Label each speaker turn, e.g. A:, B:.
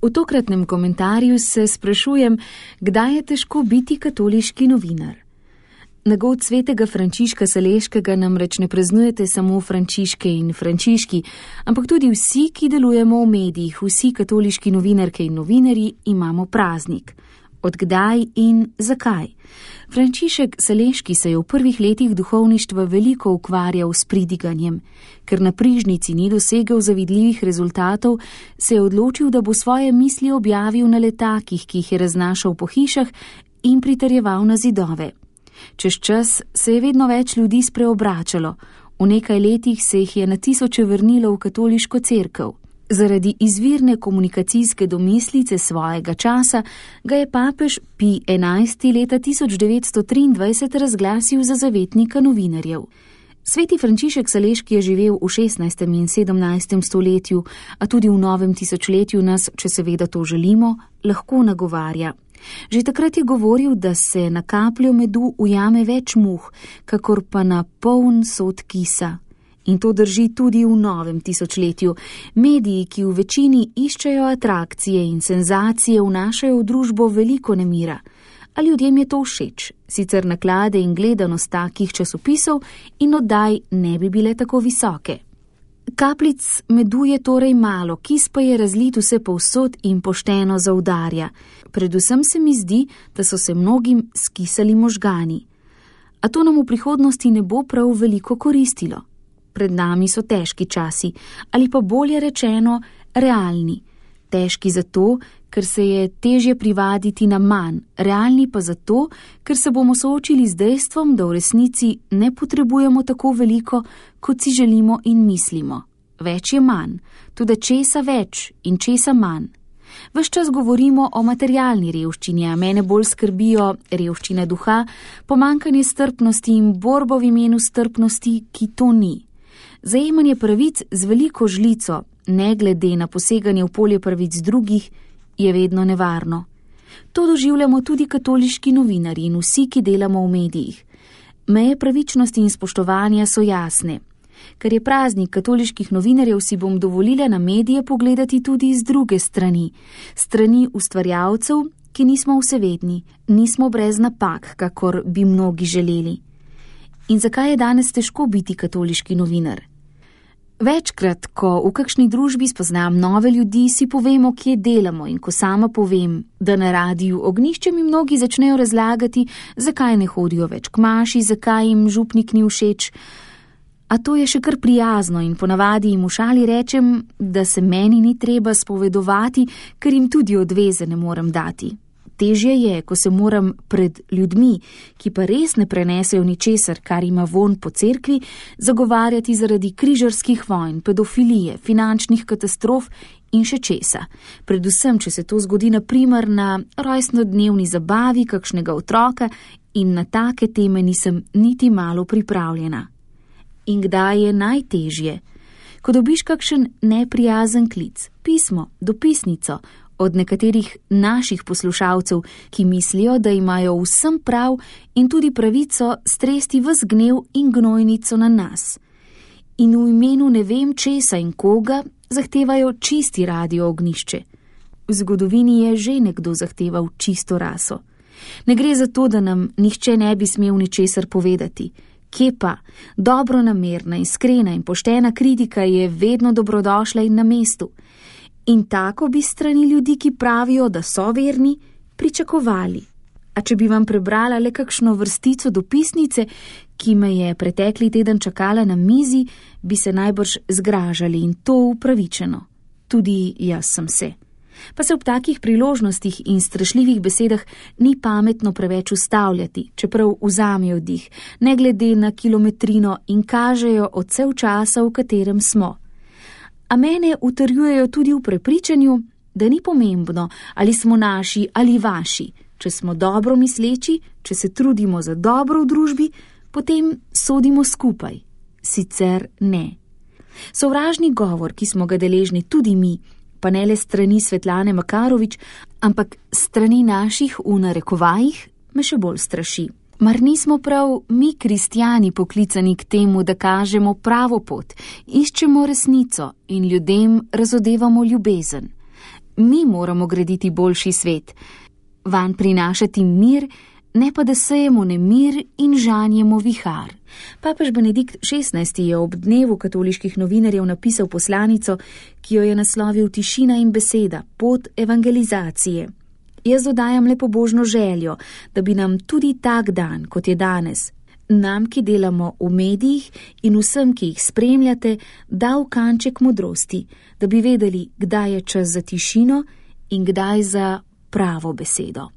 A: V tokratnem komentarju se sprašujem, kdaj je težko biti katoliški novinar. Nagod svetega Frančiška Saleškega namreč ne praznujete samo Frančiške in Frančiški, ampak tudi vsi, ki delujemo v medijih, vsi katoliški novinarke in novinarji imamo praznik. Od kdaj in zakaj? Frančišek Saleški se je v prvih letih duhovništva veliko ukvarjal s pridiganjem. Ker na Prižnici ni dosegel zavidljivih rezultatov, se je odločil, da bo svoje misli objavil na letakih, ki jih je raznašal po hišah in pritrjeval na zidove. Čez čas se je vedno več ljudi spreobračalo. V nekaj letih se jih je na tisoče vrnilo v katoliško cerkev. Zaradi izvirne komunikacijske domislice svojega časa ga je papež Pij XI leta 1923 razglasil za zavetnika novinarjev. Sveti Frančišek Saleški je živel v 16. in 17. stoletju, a tudi v novem tisočletju nas, če seveda to želimo, lahko nagovarja. Že takrat je govoril, da se na kapljo medu ujame več muh, kakor pa na poln sod kisa. In to drži tudi v novem tisočletju. Mediji, ki v večini iščejo atrakcije in senzacije, vnašajo v družbo veliko nemira. A ljudem je to všeč, sicer naklade in gledanost takih časopisov in oddaj ne bi bile tako visoke. Kapljic medu je torej malo, kis pa je razlit vse povsod in pošteno zaudarja. Predvsem se mi zdi, da so se mnogim skisali možgani. A to nam v prihodnosti ne bo prav veliko koristilo. Pred nami so težki časi, ali pa bolje rečeno, realni. Težki zato, ker se je težje privaditi na manj, realni pa zato, ker se bomo soočili z dejstvom, da v resnici ne potrebujemo tako veliko, kot si želimo in mislimo. Več je manj, tudi česa več in česa manj. Ves čas govorimo o materialni revščini, a mene bolj skrbijo revščina duha, pomanjkanje strpnosti in borba v imenu strpnosti, ki to ni. Zajemanje pravic z veliko žlico, ne glede na poseganje v polje pravic drugih, je vedno nevarno. To doživljamo tudi katoliški novinarji in vsi, ki delamo v medijih. Meje pravičnosti in spoštovanja so jasne. Ker je praznik katoliških novinarjev, si bom dovolila na medije pogledati tudi z druge strani. Strani ustvarjalcev, ki nismo vsevedni, nismo brez napak, kakor bi mnogi želeli. In zakaj je danes težko biti katoliški novinar? Večkrat, ko v kakšni družbi spoznam nove ljudi, si povemo, kje delamo, in ko sama povem, da na radiju Ognjišče, mi mnogi začnejo razlagati, zakaj ne hodijo več k maši, zakaj jim župnik ni všeč. A to je še kar prijazno in ponavadi jim v šali rečem, da se meni ni treba spovedovati, ker jim tudi odveze ne morem dati. Težje je, ko se moram pred ljudmi, ki pa res ne prenesejo ničesar, kar ima vonj po cerkvi, zagovarjati zaradi križarskih vojn, pedofilije, finančnih katastrof in še česa. Predvsem, če se to zgodi na primer na rojstnodnevni zabavi kakšnega otroka, in na take teme nisem niti malo pripravljena. In kdaj je najtežje? Ko dobiš kakšen neprijazen klic, pismo, dopisnico, od nekaterih naših poslušalcev, ki mislijo, da imajo vsem prav in tudi pravico stresti ves gnev in gnojnico na nas. In v imenu ne vem česa in koga zahtevajo čisti radio Ognjišče. V zgodovini je že nekdo zahteval čisto raso. Ne gre za to, da nam nihče ne bi smel ničesar povedati. Kje pa? Dobronamerna, iskrena in poštena kritika je vedno dobrodošla in na mestu. In tako bi strani ljudi, ki pravijo, da so verni, pričakovali. A če bi vam prebrala le kakšno vrstico dopisnice, ki me je pretekli teden čakala na mizi, bi se najbrž zgražali in to upravičeno. Tudi jaz sem se. Pa se ob takih priložnostih in strašljivih besedah ni pametno preveč ustavljati, čeprav vzamejo dih, ne glede na kilometrino in kažejo odsev časa, v katerem smo. A mene utrjujejo tudi v prepričanju, da ni pomembno, ali smo naši ali vaši. Če smo dobro misleči, če se trudimo za dobro v družbi, potem sodimo skupaj. Sicer ne. Sovražni govor, ki smo ga deležni tudi mi, pa ne le strani Svetlane Makarovič, ampak strani naših v narekovajih, me še bolj straši. Mar nismo prav mi kristjani poklicani k temu, da kažemo pravo pot, iščemo resnico in ljudem razodevamo ljubezen. Mi moramo graditi boljši svet, vanj prinašati mir, ne pa da sejemo nemir in žanjemo vihar. Papež Benedikt XVI je ob dnevu katoliških novinarjev napisal poslanico, ki jo je naslovil Tišina in beseda, pot evangelizacije. Jaz dodajam le pobožno željo, da bi nam tudi tak dan, kot je danes, nam, ki delamo v medijih in vsem, ki jih spremljate, dal kanček modrosti, da bi vedeli, kdaj je čas za tišino in kdaj za pravo besedo.